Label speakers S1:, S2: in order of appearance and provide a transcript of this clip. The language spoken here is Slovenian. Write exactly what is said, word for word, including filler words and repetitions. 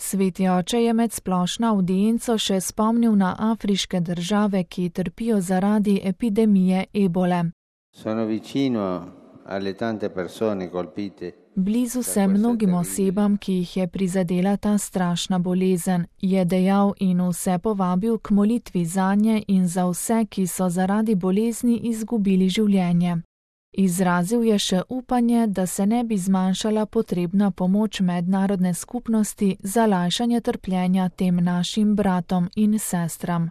S1: Sveti oče je med splošno avdienco še spomnil na afriške države, ki trpijo zaradi epidemije ebole.
S2: Sono vicino alle tante persone colpite.
S1: Blizu sem mnogim osebam, ki jih je prizadela ta strašna bolezen, je dejal in vse povabil k molitvi zanje in za vse, ki so zaradi bolezni izgubili življenje. Izrazil je še upanje, da se ne bi zmanjšala potrebna pomoč mednarodne skupnosti za lajšanje trpljenja tem našim bratom in sestram.